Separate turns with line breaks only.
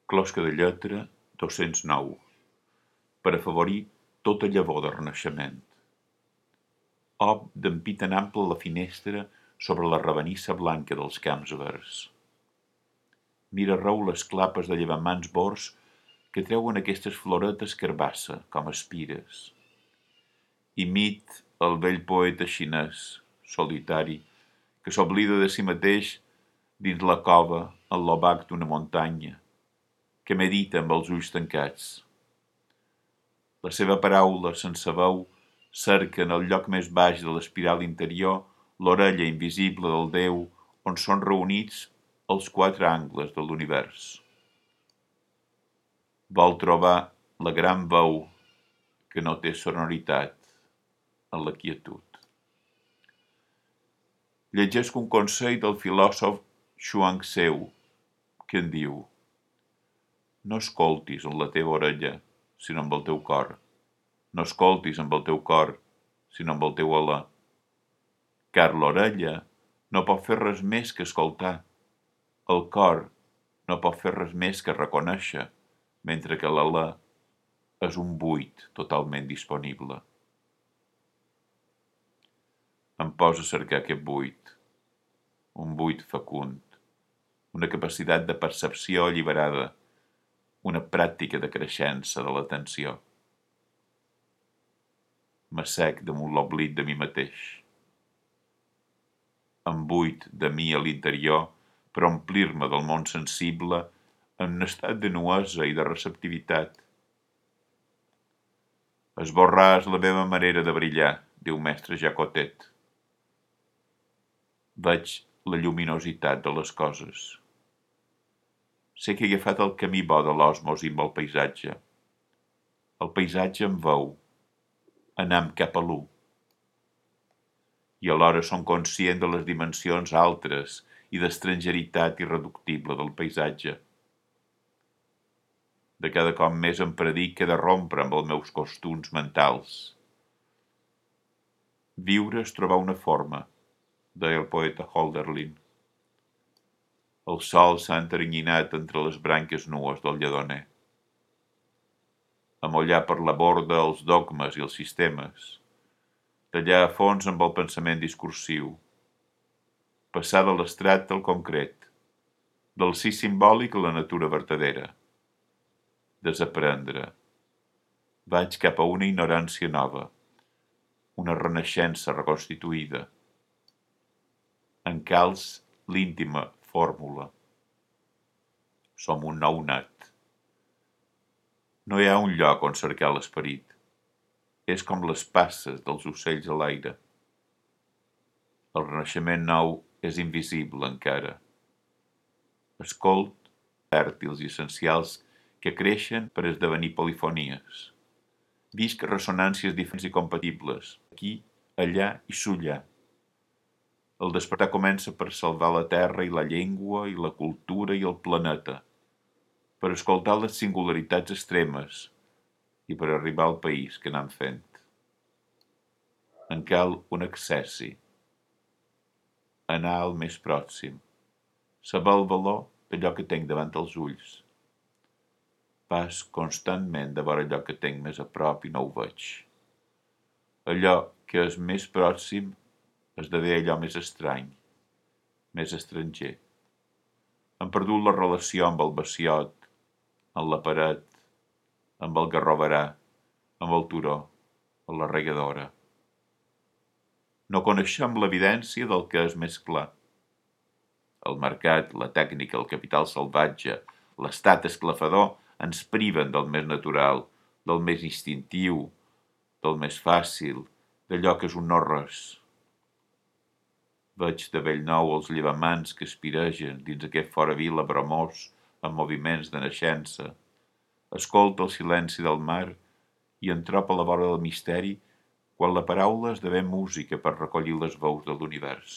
Closca de lletra 209, per afavorir tota llavor de renaixement. Ob d'ampit en ample la finestra sobre la ravenissa blanca dels camps verds. Mira arreu les clapes de llevamans bors que treuen aquestes floretes carbassa, com espires. Imit el vell poeta xinès, solitari, que s'oblida de si mateix dins la cova en l'obac d'una muntanya, que medita amb els ulls tancats. La seva paraula sense veu cerca en el lloc més baix de l'espiral interior l'orella invisible del Déu on són reunits els quatre angles de l'univers. Vol trobar la gran veu que no té sonoritat en la quietud. Llegesc un consell del filòsof Chuang-Tzu, que en diu: no escoltis amb la teva orella, sinó amb el teu cor. No escoltis amb el teu cor, sinó amb el teu alè. Car l'orella no pot fer res més que escoltar. El cor no pot fer res més que reconèixer, mentre que l'alè és un buit totalment disponible. Em posa a cercar aquest buit, un buit fecund, una capacitat de percepció alliberada, una pràctica de creixença de l'atenció. M'assec damunt l'oblit de mi mateix. Em buit de mi a l'interior per omplir-me del món sensible en un estat de nuesa i de receptivitat. Esborrar és la meva manera de brillar, diu mestre Jacotet. Veig la lluminositat de les coses. Sé que he agafat el camí bo de l'osmosi amb el paisatge. El paisatge em veu, anam cap a l'u. I alhora som conscient de les dimensions altres i d'estrangeritat irreductible del paisatge. De cada cop més em predic que he de rompre amb els meus costums mentals. Viure és trobar una forma, deia el poeta Hölderlin. El sol s'ha enternyinat entre les branques nues del lledoner. Amollar per la borda els dogmes i els sistemes, tallar a fons amb el pensament discursiu, passar de l'abstrat al concret, del sí simbòlic a la natura vertadera, desaprendre. Vaig cap a una ignorància nova, una renaixença reconstituïda. Encalç l'íntima fórmula. Som un nou nat. No hi ha un lloc on cercar l'esperit. És com les passes dels ocells a l'aire. El renaixement nou és invisible encara. Escolt fèrtils i essencials que creixen per esdevenir polifonies. Visc ressonàncies diferents i compatibles, aquí, allà i sullar. El despertar comença per salvar la terra i la llengua i la cultura i el planeta, per escoltar les singularitats extremes i per arribar al país que anem fent. En cal un accessi, anar al més pròxim, saber el valor d'allò que tinc davant els ulls. Pas constantment de veure allò que tinc més a prop i no ho veig. Allò que és més pròxim esdevé allò més estrany, més estranger. Hem perdut la relació amb el baciot, amb la paret, amb el garroverà, amb el turó, amb la regadora. No coneixem l'evidència del que és més clar. El mercat, la tècnica, el capital salvatge, l'estat esclafador ens priven del més natural, del més instintiu, del més fàcil, d'allò que és un no-res. Veig de bell nou els llevamans que espiregen dins aquest fora vila bromós amb moviments de naixença. Escolta el silenci del mar i en troba la vora del misteri quan la paraula esdevé música per recollir les veus de l'univers.